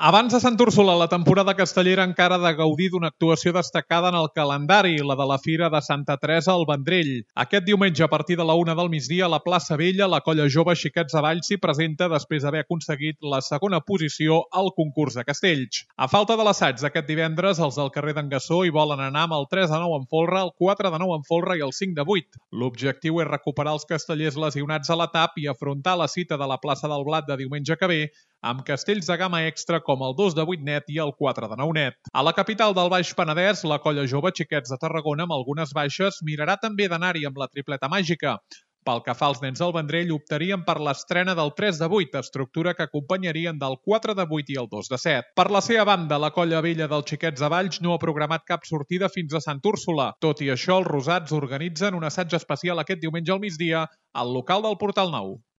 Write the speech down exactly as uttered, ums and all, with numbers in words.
Abans de Sant Úrsula, la temporada castellera encara ha de gaudir d'una actuació destacada en el calendari, la de la Fira de Santa Teresa al Vendrell. Aquest diumenge, a partir de la una del migdia, a la plaça Vella, la colla jove Xiquets de Valls s'hi presenta després d'haver aconseguit la segona posició al concurs de castells. A falta de l'assaig d'aquest divendres, els del carrer d'en Gassó hi volen anar amb el tres de nou en folre, el quatre de nou en folre i el cinc de vuit. L'objectiu és recuperar els castellers lesionats a l'etap i afrontar la cita de la plaça del Blat de diumenge que ve amb castells de gamma extra com el dos de vuit net i el quatre de nou net. A la capital del Baix Penedès, la colla jove Xiquets de Tarragona, amb algunes baixes, mirarà també d'anar-hi amb la tripleta màgica. Pel que fa als nens del Vendrell, optarien per l'estrena del tres de vuit, estructura que acompanyarien del quatre de vuit i el dos de set. Per la seva banda, la colla vella dels Xiquets de Valls no ha programat cap sortida fins a Sant Úrsula. Tot i això, els rosats organitzen un assaig especial aquest diumenge al migdia al local del Portal Nou.